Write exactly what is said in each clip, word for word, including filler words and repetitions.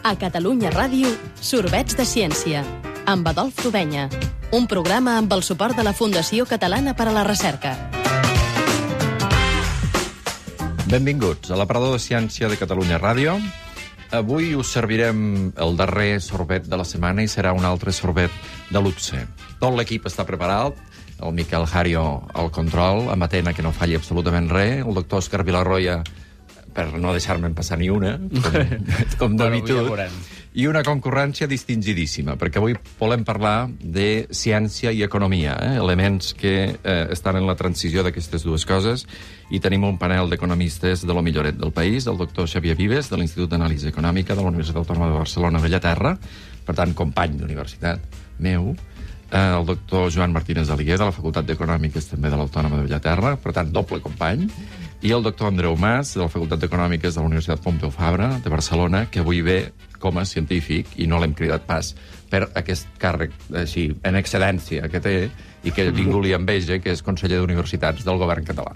A Catalunya Ràdio, Sorbets de Ciència, amb Adolf Tubenya. Un programa amb el suport de la Fundació Catalana per a la Recerca. Benvinguts a l'aparador de ciència de Catalunya Ràdio. Avui us servirem el darrer sorbet de la setmana i serà un altre sorbet de luxe. Tot l'equip està preparat, el Miquel Hario al control, amatent a que no falli absolutament res, el doctor Òscar Vilarroya, per no deixar-me'n passar ni una, com, com d'habitud, i una concurrència distingidíssima, perquè avui volem parlar de ciència i economia, eh? elements que eh, estan en la transició d'aquestes dues coses, i tenim un panel d'economistes de lo milloret del país, el doctor Xavier Vives, de l'Institut d'Anàlisi Econòmica de la Universitat Autònoma de Barcelona, Bellaterra, per tant, company d'universitat meu, eh, el doctor Joan Martínez Aliguer, de la Facultat d'Econòmiques, també de l'Autònoma de Bellaterra, per tant, doble company, i el doctor Andreu Mas, de la Facultat d'Econòmiques de la Universitat Pompeu Fabra, de Barcelona, que avui ve com a científic, i no l'hem cridat pas per aquest càrrec així, en excedència que té, i que ningú li enveja, que és conseller d'universitats del govern català.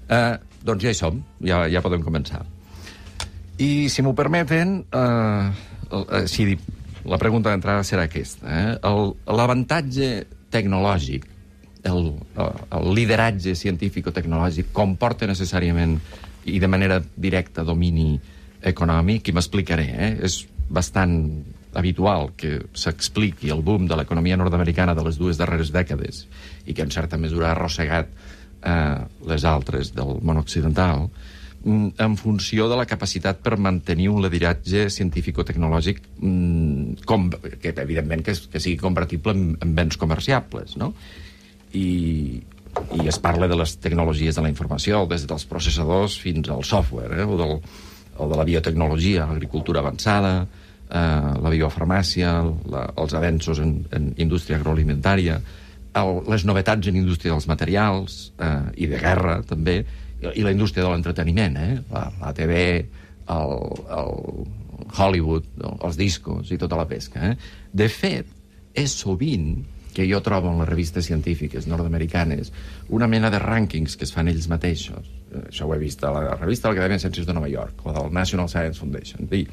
Eh, doncs ja hi som, ja, ja podem començar. I, si m'ho permeten, eh, si la pregunta d'entrada serà aquesta. Eh? L'avantatge tecnològic, El, el lideratge científico-tecnològic comporta necessàriament i de manera directa domini econòmic, i m'explicaré. Eh? És bastant habitual que s'expliqui el boom de l'economia nord-americana de les dues darreres dècades i que en certa mesura ha arrossegat eh, les altres del món occidental en funció de la capacitat per mantenir un lideratge científico-tecnològic com, que evidentment que, que sigui compatible amb, amb béns comerciables, no? I, i es parla de les tecnologies de la informació, des dels processadors fins al software, eh? o, del, o de la biotecnologia, l'agricultura avançada, eh, la biofarmàcia, la, els avenços en, en indústria agroalimentària, el, les novetats en indústria dels materials eh, i de guerra, també, i, i la indústria de l'entreteniment, eh? la, la T V, el, el Hollywood, els discos i tota la pesca. Eh? De fet, és sovint que jo trobo en les revistes científiques nord-americanes una mena de rànquings que es fan ells mateixos. Això ho he vist a la revista de l'Acadèmia de Ciències de Nova York, o del National Science Foundation. Dir,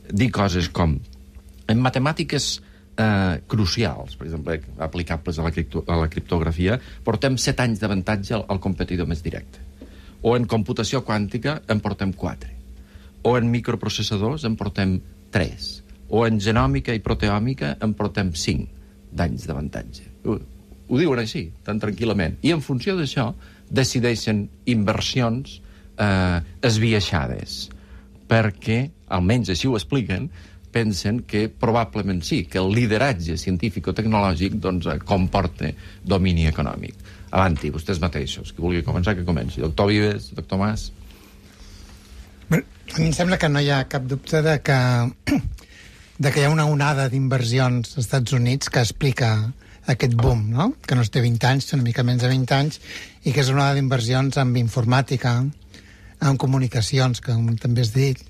dir coses com, en matemàtiques eh, crucials, per exemple, aplicables a la, cripto, a la criptografia, portem set anys d'avantatge al, al competidor més directe. O en computació quàntica en portem quatre. O en microprocessadors en portem tres. O en genòmica i proteòmica en portem cinc d'anys d'avantatge. Ho, ho diuen així, tan tranquil·lament. I en funció d'això decideixen inversions eh, esbiaixades, perquè, almenys així ho expliquen, pensen que probablement sí, que el lideratge científico-tecnològic doncs, comporta domini econòmic. Avanti, vostès mateixos. Qui vulgui començar, que comenci. Doctor Vives, doctor Mas. Bé, a mi em sembla que no hi ha cap dubte de que de que hi ha una onada d'inversions als Estats Units que explica aquest boom, no? Que no té vint anys, té una mica menys de vint anys, i que és una onada d'inversions amb informàtica, amb comunicacions, que també has dit.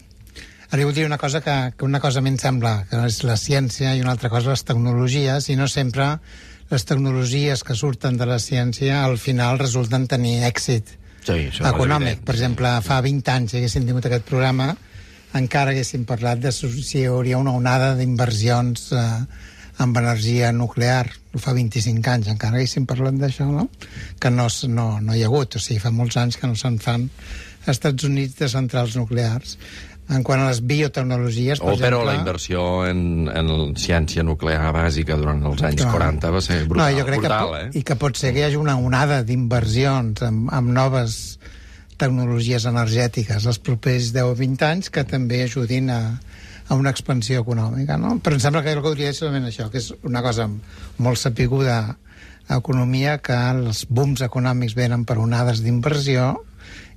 Ara jo vull dir una cosa que, que una cosa a mi em sembla que és la ciència i una altra cosa les tecnologies, i no sempre les tecnologies que surten de la ciència al final resulten tenir èxit sí, econòmic. Per exemple, fa vint anys haguéssim tingut aquest programa, encara haguéssim parlat de si hi hauria una onada d'inversions eh, amb energia nuclear. Ho fa vint-i-cinc anys, encara haguéssim parlat d'això, no? Que no, no, no hi ha hagut. O sigui, fa molts anys que no se'n fan als Estats Units de centrals nuclears. En quant a les biotecnologies, per o, exemple... Però la inversió en, en ciència nuclear bàsica durant els anys no. quaranta va ser brutal, no, jo crec brutal que, eh? I que pot ser que hi hagi una onada d'inversions amb, amb noves tecnologies energètiques els propers deu o vint anys que també ajudin a, a una expansió econòmica, no? Però em sembla que el que hauria de ser solament això, que és una cosa molt sapiguda a economia, que els booms econòmics venen per onades d'inversió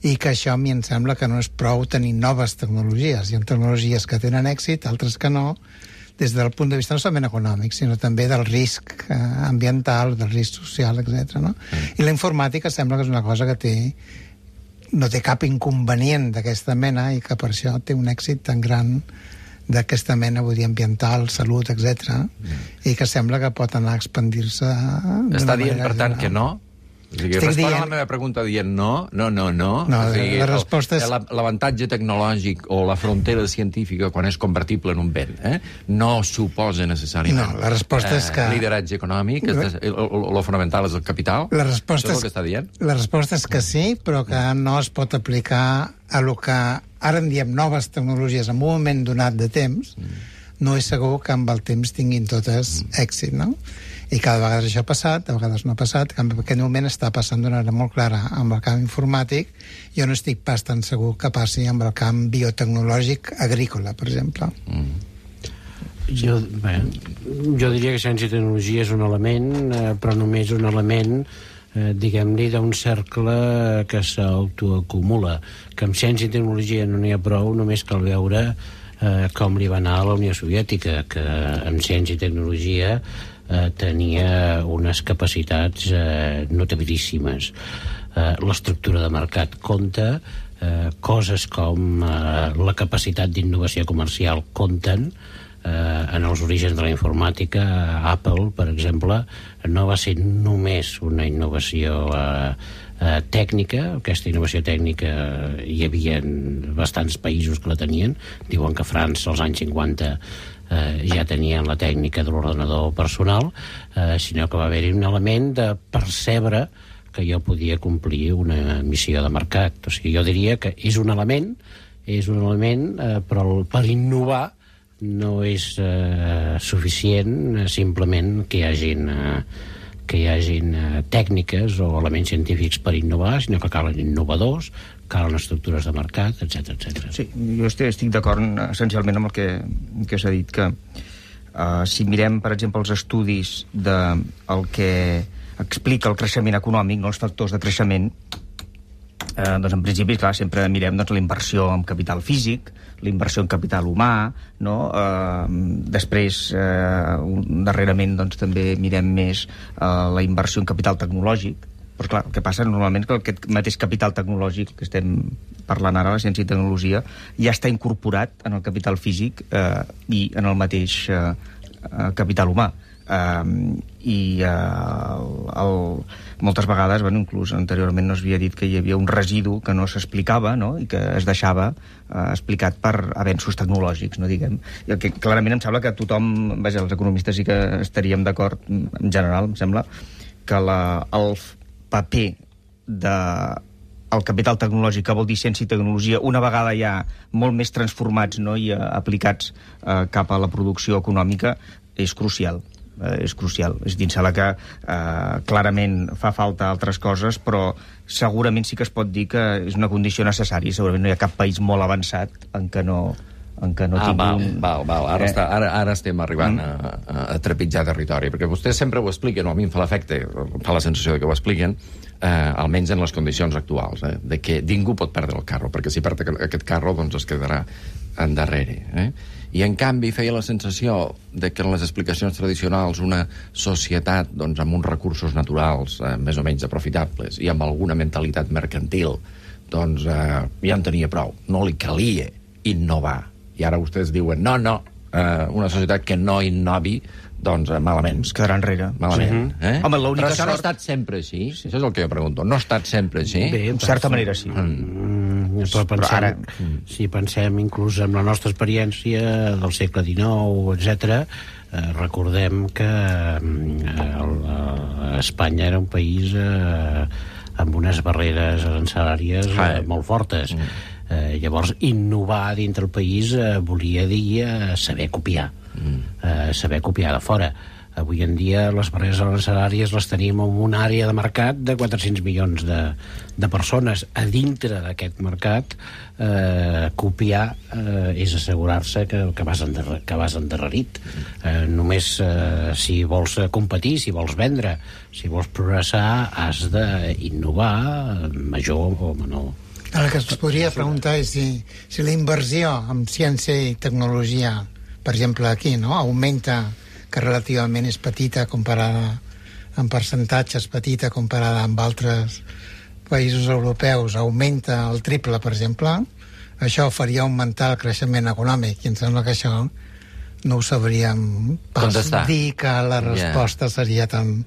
i que això a mi em sembla que no és prou tenir noves tecnologies. Hi ha tecnologies que tenen èxit, altres que no, des del punt de vista no solament econòmic, sinó també del risc eh, ambiental, del risc social, etcètera. No? Mm. I la informàtica sembla que és una cosa que té no té cap inconvenient d'aquesta mena i que per això té un èxit tan gran d'aquesta mena, vull dir, ambiental, salut, etcètera, mm. i que sembla que pot anar a expandir-se... Està dient, per tant, general. que no? O sigui, respon dient... a la meva pregunta dient no, no, no, no. No, o sigui, la resposta és... L'avantatge tecnològic o la frontera científica, quan és convertible en un bé, eh, no suposa necessàriament no, la resposta és que... eh, lideratge econòmic, el, el, el fonamental és el capital. La resposta Això és és... el que està dient? La resposta és que sí, però que no es pot aplicar a lo que ara en diem noves tecnologies en un moment donat de temps. Mm. No és segur que amb el temps tinguin totes mm. èxit, no? I cada vegada això ha passat, a vegades no ha passat, que en aquest moment està passant d'una manera molt clara amb el camp informàtic. Jo no estic pas tan segur que passi amb el camp biotecnològic agrícola, per exemple. Mm. Jo, bé, jo diria que ciència i tecnologia és un element, eh, però només un element, eh, diguem-ne, d'un cercle que s'autoacumula. Que amb ciència i tecnologia no n'hi ha prou, només cal veure eh, com li va anar a la Unió Soviètica, que amb ciència i tecnologia Eh, tenia unes capacitats eh, notabilíssimes. Eh, l'estructura de mercat compta, eh, coses com eh, la capacitat d'innovació comercial compten. Eh, en els orígens de la informàtica, Apple, per exemple, no va ser només una innovació eh, eh, tècnica. Aquesta innovació tècnica hi havia bastants països que la tenien. Diuen que França, als anys cinquanta, Eh, ja tenien la tècnica de l'ordenador personal, eh, sinó que va haver-hi un element de percebre que jo podia complir una missió de mercat. O sigui, jo diria que és un element, és un element, eh, però per innovar no és eh, suficient eh, simplement que hi hagin, eh, que hi hagin eh, tècniques o elements científics per innovar, sinó que calen innovadors, calen estructures de mercat, etcètera, etcètera. Sí, jo estic, estic d'acord essencialment amb el que, que s'ha dit, que uh, si mirem, per exemple, els estudis de el que explica el creixement econòmic, no, els factors de creixement, eh, doncs en principi, clar, sempre mirem doncs, la inversió en capital físic, la inversió en capital humà, no? Eh, després, eh, darrerament, doncs, també mirem més eh, la inversió en capital tecnològic. Però clar, el que passa normalment és que aquest mateix capital tecnològic que estem parlant ara, la ciència i tecnologia, ja està incorporat en el capital físic eh, i en el mateix eh, capital humà. Uh, i uh, el, moltes vegades, bueno, inclús anteriorment no s'havia dit que hi havia un residu que no s'explicava, no? I que es deixava uh, explicat per avenços tecnològics, no diguem. I el que clarament em sembla que tothom, vaja, els economistes sí que estaríem d'acord en general, em sembla que la, el paper de el capital tecnològic, que vol dir ciència i tecnologia, una vegada ja molt més transformats, no? I uh, aplicats uh, cap a la producció econòmica, és crucial. Eh, és crucial. És dir, em que eh, clarament fa falta altres coses, però segurament sí que es pot dir que és una condició necessària. Segurament no hi ha cap país molt avançat en què no, en què no ah, tingui val, un... val, val. Ara, eh? està, ara, ara estem arribant mm. a, a trepitjar territori, perquè vostès sempre ho expliquen, o a mi em fa l'efecte, fa la sensació de que ho expliquen, eh, almenys en les condicions actuals, eh, de que ningú pot perdre el carro, perquè si perd aquest carro doncs es quedarà endarrere. Eh? I, en canvi, feia la sensació de que en les explicacions tradicionals una societat doncs, amb uns recursos naturals eh, més o menys aprofitables i amb alguna mentalitat mercantil doncs eh, ja en tenia prou. No li calia innovar. I ara vostès diuen, no, no, eh, una societat que no innovi, doncs eh, malament. Es quedarà enrere. Malament. Sí. Eh? Home, l'única Però això sort... no ha estat sempre així? Sí. Això és el que jo pregunto. No ha estat sempre així? Bé, en certa manera sí. Mm. Però pensem, però ara... si pensem inclús en la nostra experiència del segle dinou, etcètera, eh, recordem que eh, Espanya era un país eh, amb unes barreres arancelàries eh, molt fortes. Mm. Eh, llavors, innovar dintre el país eh, volia dir eh, saber copiar, mm. eh, saber copiar de fora. Avui en dia les barreres arancelàries les tenim en una àrea de mercat de quatre-cents milions de, de persones. A dintre d'aquest mercat, eh, copiar eh, és assegurar-se que, que, vas endarrer, que vas endarrerit. Eh, només eh, si vols competir, si vols vendre, si vols progressar, has d'innovar major o menor. El que es podria preguntar és si, si la inversió en ciència i tecnologia, per exemple aquí, no? Augmenta, que relativament és petita comparada en percentatges, petita comparada amb altres països europeus, augmenta el triple, per exemple, això faria augmentar el creixement econòmic, i em sembla que això no ho sabríem pas dir que la resposta yeah. seria tan,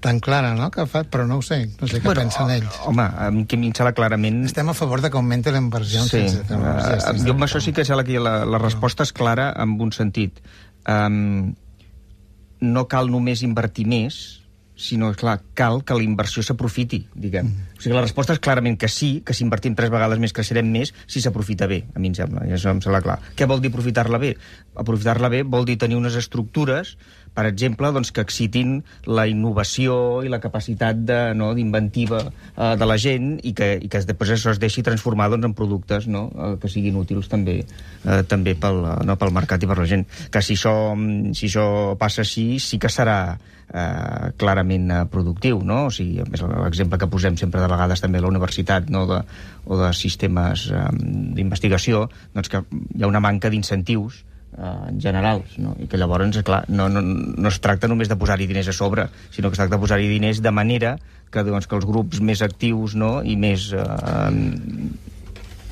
tan clara, no?, que fa, però no ho sé, no sé què bueno, pensen ells. Home, a mi que a mi em sembla clarament... Estem a favor de que augmenti la inversió en sí. ciència tecnologia. Uh, jo amb això sí que sembla que la, la resposta és clara en un sentit. Um, no cal només invertir més, sinó, clar, cal que la inversió s'aprofiti, diguem. Mm. O sigui, la resposta és clarament que sí, que si invertim tres vegades més creixerem més, si s'aprofita bé, a mi em sembla, i això em sembla clar. Què vol dir aprofitar-la bé? Aprofitar-la bé vol dir tenir unes estructures, per exemple, doncs, que excitin la innovació i la capacitat de, no, d'inventiva eh, de la gent i que, i que després això es deixi transformar doncs, en productes, no, eh, que siguin útils també, eh, també pel, no, pel mercat i per la gent. Que si això, si això passa així, sí que serà eh, clarament eh, productiu, no? O sigui, l'exemple que posem sempre de vegades també a la universitat, no, de, o de sistemes eh, d'investigació, doncs que hi ha una manca d'incentius Uh, en generals, no? I que llavors, clar, no, no, no es tracta només de posar-hi diners a sobre, sinó que es tracta de posar-hi diners de manera que, doncs, que els grups més actius, no?, i més uh,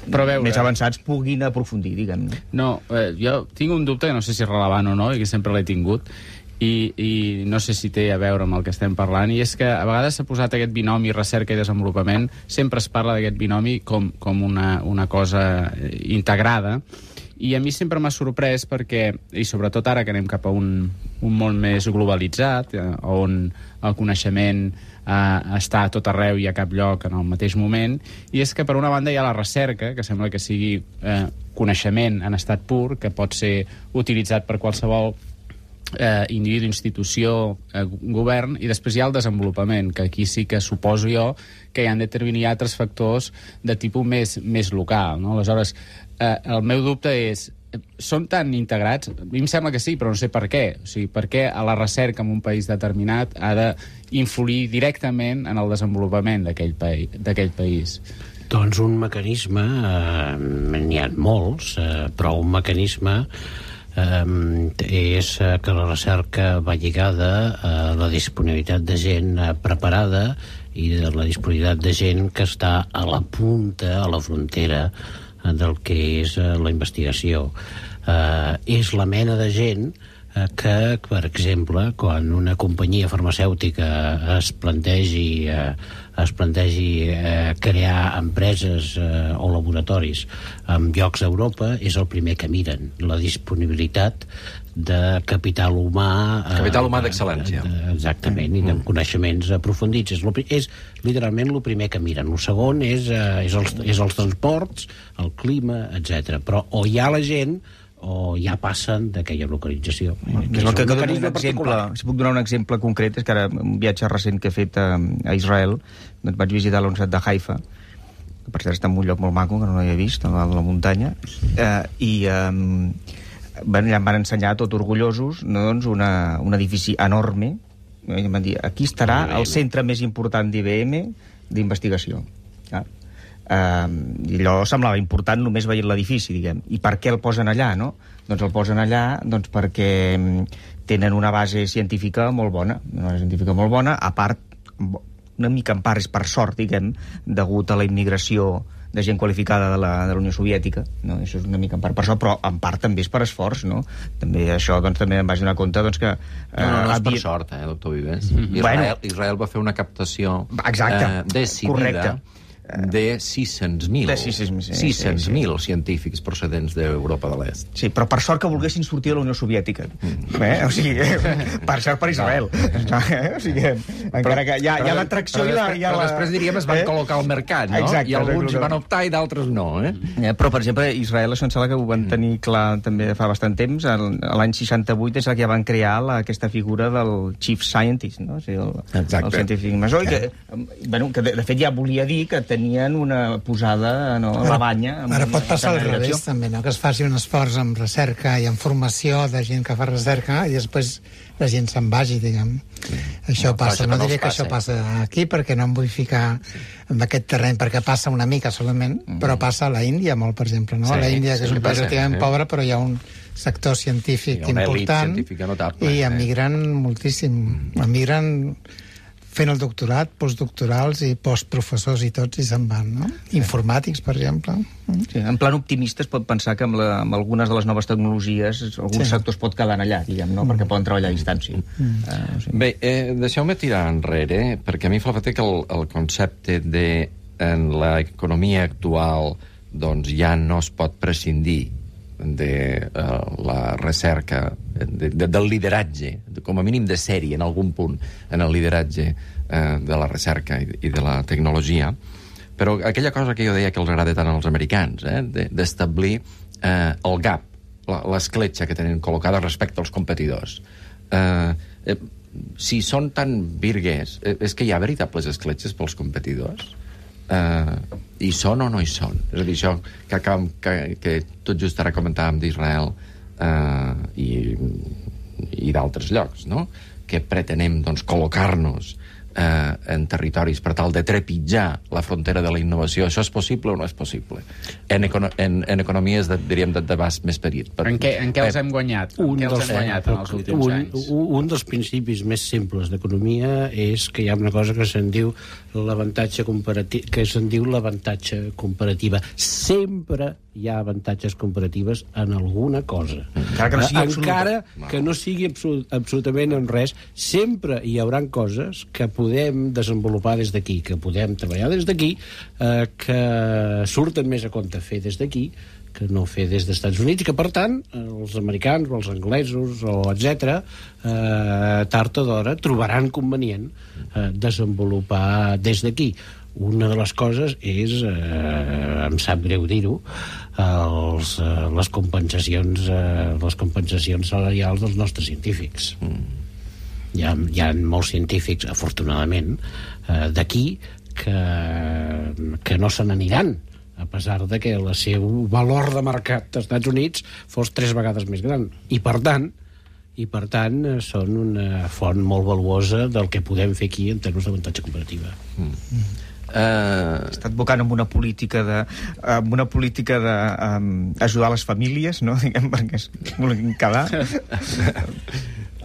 Però veure, més avançats puguin aprofundir, diguem. No, eh, jo tinc un dubte que no sé si és rellevant o no, i que sempre l'he tingut, i, i no sé si té a veure amb el que estem parlant, i és que a vegades s'ha posat aquest binomi recerca i desenvolupament, sempre es parla d'aquest binomi com, com una, una cosa integrada, i a mi sempre m'ha sorprès perquè, i sobretot ara que anem cap a un, un món més globalitzat, eh, on el coneixement eh, està a tot arreu i a cap lloc en el mateix moment, i és que per una banda hi ha la recerca, que sembla que sigui eh, coneixement en estat pur, que pot ser utilitzat per qualsevol eh, individu, institució, eh, govern, i després hi ha el desenvolupament, que aquí sí que suposo jo que hi han determinats factors de tipus més, més local, no? Aleshores, eh, el meu dubte és, són tan integrats? A mi em sembla que sí, però no sé per què. O sigui, per què a la recerca en un país determinat ha d'influir directament en el desenvolupament d'aquell país, d'aquell país? Doncs un mecanisme, eh, n'hi ha molts, eh, però un mecanisme eh, és que la recerca va lligada a la disponibilitat de gent preparada i de la disponibilitat de gent que està a la punta, a la frontera del que és la investigació. Eh, és la mena de gent eh, que, per exemple, quan una companyia farmacèutica es plantegi, eh, es plantegi eh, crear empreses eh, o laboratoris en llocs d'Europa, és el primer que miren, la disponibilitat de capital humà... Capital humà d'excel·lència. Exactament, i de coneixements aprofundits. És, lo, és literalment el primer que miren. El segon és, eh, és, els, és els transports, el clima, etcètera. Però o hi ha la gent o ja passen d'aquella localització. Que és el que, que un exemple, si puc donar un exemple concret, és que ara un viatge recent que he fet a, a Israel, doncs vaig visitar la Universitat de Haifa, que per cert està en un lloc molt maco, que no l'havia vist, a la, a la muntanya, eh, i... Eh, Bueno, ja em van ensenyar, tot orgullosos, no, doncs una, un edifici enorme. I em van dir, aquí estarà el centre més important d'I B M d'investigació. Ja. Uh, I allò semblava important només veient l'edifici, diguem. I per què el posen allà, no? Doncs el posen allà doncs perquè tenen una base científica molt bona, una base científica molt bona, a part, una mica en part és per sort, diguem, degut a la immigració de gent qualificada de la, de la Unió Soviètica, no? Això és una mica en part per això, però en part també és per esforç, no? També això, doncs, també em vaig donar compte, doncs, que... Eh, no, no, no és havia... per sort, eh, doctor Vives. Mm-hmm. Israel, bueno, Israel va fer una captació exacte, eh, decidida... Correcte. de sis-cents mil sis-cents mil científics procedents d'Europa de l'Est. Sí, però per sort que volguessin sortir de la Unió Soviètica. Mm. Eh? O sigui, per sort per Israel. No. Eh? O sigui, encara que hi ha, hi ha l'atracció i la... Hi ha la... Però després diríem es van eh? col·locar al mercat, no? Exacte, i alguns hi van optar i d'altres no, eh? eh? Però, per exemple, Israel, això em sembla que ho van tenir clar també fa bastant temps. L'any seixanta-vuit és el que ja van crear la, aquesta figura del Chief Scientist, no? O sigui, el, el científic major, que, bueno, que de, de fet ja volia dir que tenien una posada no, a la banya. Ara pot passar al revés, també, no? Que es faci un esforç en recerca i en formació de gent que fa recerca i després la gent se'n vagi, diguem. Sí. Això no, passa. No diré que passa. Això passa aquí perquè no em vull ficar en aquest terreny, perquè passa una mica solament, mm. però passa a la Índia molt, per exemple. No? Sí, a la Índia, que sí, és un país relativament sí. pobre, però hi ha un sector científic sí, important i emigren eh? moltíssim. Emigren fent el doctorat, postdoctorals i postprofessors i tots, i se'n van, no? Informàtics, per exemple. Sí, en plan optimista es pot pensar que amb, la, amb algunes de les noves tecnologies alguns Sí. sectors pot quedar allà, diguem, no? Perquè poden treballar a distància. Mm. Uh, sí. Bé, eh, deixeu-me tirar enrere, perquè a mi em fa l'efecte que el, el concepte de en l'economia actual doncs ja no es pot prescindir de uh, la recerca, de, de, del lideratge, com a mínim de sèrie en algun punt, en el lideratge uh, de la recerca i, i de la tecnologia. Però aquella cosa que jo deia que els agrada tant als americans, eh, d'establir uh, el gap, l'escletxa que tenen col·locada respecte als competidors. Uh, eh, si són tan virguers, eh, és que hi ha veritables escletxes pels competidors? Uh, hi són o no hi són? És a dir, això que, acabem, que, que tot just ara comentàvem d'Israel uh, i, i d'altres llocs, no? Que pretenem doncs, col·locar-nos uh, en territoris per tal de trepitjar la frontera de la innovació. Això és possible o no és possible? En, econo en, en economies, de, diríem, de d'abast més petit. Per... En què, en què els hem guanyat? En Un què els dels, hem guanyat en els últims un, anys? un, un dels principis més simples d'economia és que hi ha una cosa que se'n diu l'avantatge comparatiu, que se'n diu l'avantatge comparativa. Sempre hi ha avantatges comparatives en alguna cosa. Encara que no sigui absoluta. Encara que no sigui absolut, absolutament en res, sempre hi hauran coses que podem desenvolupar des d'aquí, que podem treballar des d'aquí, eh, que surten més a compte fer des d'aquí que no fer des dels Estats Units, i que, per tant, els americans o els anglesos, o etcètera, eh, tard o d'hora trobaran convenient eh, desenvolupar des d'aquí. Una de les coses és, eh, em sap greu dir-ho, els, eh, les compensacions eh, les compensacions salarials dels nostres científics. Mm. Hi ha, hi ha molts científics, afortunadament, eh, d'aquí que, que no se n'aniran, a pesar de que el seu valor de mercat dels Estats Units fos tres vegades més gran. I, per tant, i per tant són una font molt valuosa del que podem fer aquí en termes d'avantatge comparativa. Mm. Uh... Està advocant amb una política de amb una política de um, ajudar les famílies, no? Diguem, perquè es vulguin quedar.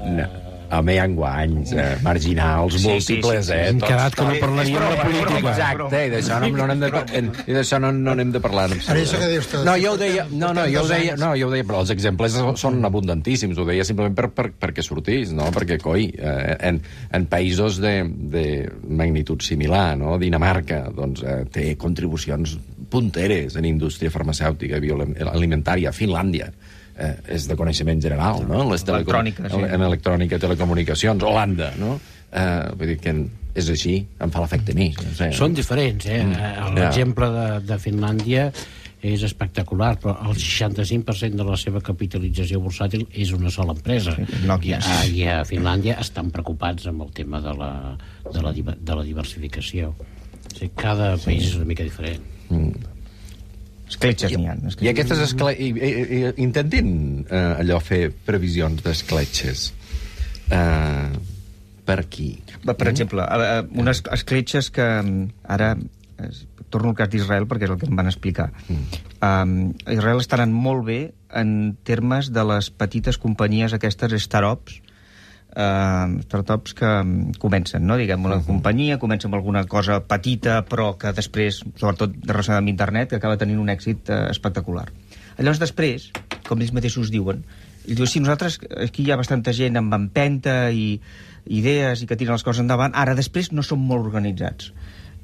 No. Home, hi ha guanys eh, marginals Sí, múltiples, sí, sí, sí. eh? Hem Tots, quedat que no tots. parlaríem de política. Exacte, i d'això no, no n'hem de, en, i d'això no, no n'hem de parlar. En Ara això que dius tu, no, jo ho deia, portem- no, no, portem jo ho dos deia, anys. no, jo ho deia, però els exemples són abundantíssims, ho deia simplement per, per, perquè sortís, no? Perquè, coi, eh, en, en països de, de magnitud similar, no? Dinamarca, doncs, eh, té contribucions punteres en indústria farmacèutica, bioalimentària, Finlàndia, eh, és de coneixement general, no? Les Electrònica, sí. En electrònica, telecomunicacions, Holanda, no? Eh, vull dir que és així, em fa l'efecte a mi. No sé. Són diferents, eh? Mm. L'exemple de, de Finlàndia és espectacular, però el seixanta-cinc per cent de la seva capitalització bursàtil és una sola empresa. Sí, Nokia. I, a, I a Finlàndia estan preocupats amb el tema de la, de la, diver- de la diversificació. O sigui, cada país és una mica diferent. Mm. Escletxes n'hi ha. I aquestes escle... I, i, i, intentin eh, allò fer previsions d'escletxes. Eh, per aquí. Per exemple, a- a- unes escletxes que mm, ara es, torno al cas d'Israel perquè és el que em van explicar. Mm. Um, Israel està anant molt bé en termes de les petites companyies aquestes startups, uh, startups que um, comencen, no? Diguem, una uh -huh. companyia comença amb alguna cosa petita però que després, sobretot relacionada amb internet, que acaba tenint un èxit uh, espectacular. Llavors després, com ells mateixos diuen, ells diuen, sí, nosaltres, aquí hi ha bastanta gent amb empenta i idees i que tiren les coses endavant, ara després no som molt organitzats.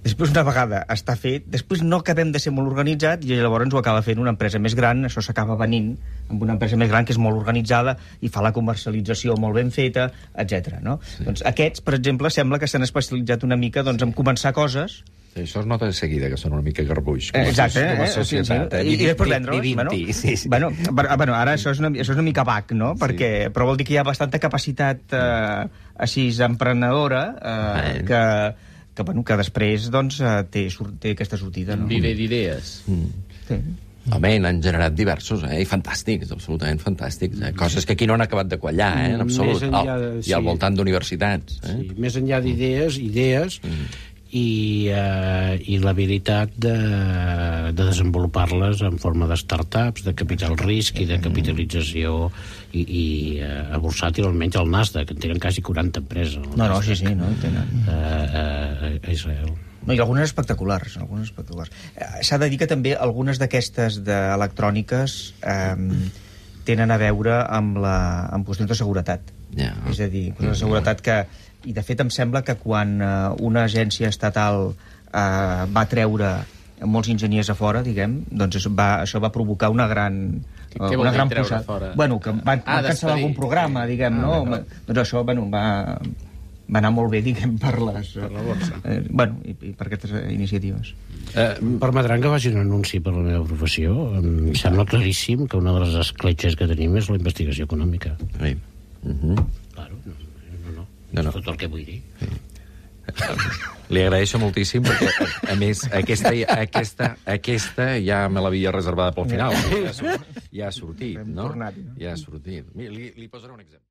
Després, una vegada està fet, després no acabem de ser molt organitzats i llavors ho acaba fent una empresa més gran, això s'acaba venint amb una empresa més gran que és molt organitzada i fa la comercialització molt ben feta, etcètera. No? Sí. Doncs aquests, per exemple, sembla que s'han especialitzat una mica doncs, en començar coses. Sí, això es nota de seguida, que són una mica garbuix. Eh, exacte, com a eh? societat. Sí, sí. I, I després vendre-los. Bueno, sí, sí. bueno, bueno, ara això és una, això és una mica bac, no? Perquè, però vol dir que hi ha bastanta capacitat eh, així emprenedora eh, que, que, bueno, que després doncs, eh, té, sur- té aquesta sortida. No? Viver d'idees. Mm. Sí. Home, n'han generat diversos, eh? I fantàstics, absolutament fantàstics. Eh? Coses que aquí no han acabat de quallar, eh? En absolut. Més enllà de- Al, I al sí. voltant d'universitats. Eh? Sí, més enllà d'idees, idees, Mm. i, eh, i l'habilitat de, de desenvolupar-les en forma de startups, de capital risc i de capitalització i, i eh, bursàtil, almenys el Nasdaq, en tenen quasi quaranta empreses. No, no, sí, sí, no, tenen. Eh, eh, a Israel. No, i algunes espectaculars, algunes espectaculars. Eh, S'ha de dir que també algunes d'aquestes d'electròniques eh, tenen a veure amb, la, amb qüestions de seguretat. Yeah. És a dir, qüestions de seguretat que... I, de fet, em sembla que quan eh, una agència estatal eh, va treure molts enginyers a fora, diguem, doncs això va, això va provocar una gran... Què, què vol una dir gran treure posada. fora? Bueno, que van, Ah, van cancel·lar algun programa, diguem, Ah, no? d'acord. Doncs això, bueno, va, va anar molt bé, diguem, per les... Per la borsa. Eh, bueno, i, i per aquestes iniciatives. Eh, permetran que faci un anunci per la meva professió. Em sembla claríssim que una de les escletxes que tenim és la investigació econòmica. Sí. Uh-huh. Claro, no, no, no. No, no. És tot el que vull dir. Li agraeixo moltíssim perquè, a, a més, aquesta, aquesta, aquesta ja me l'havia reservada pel final. Ja ha sortit, ja ha sortit, no? Tornat, no? Ja ha sortit. Mira, li, li posaré un exemple.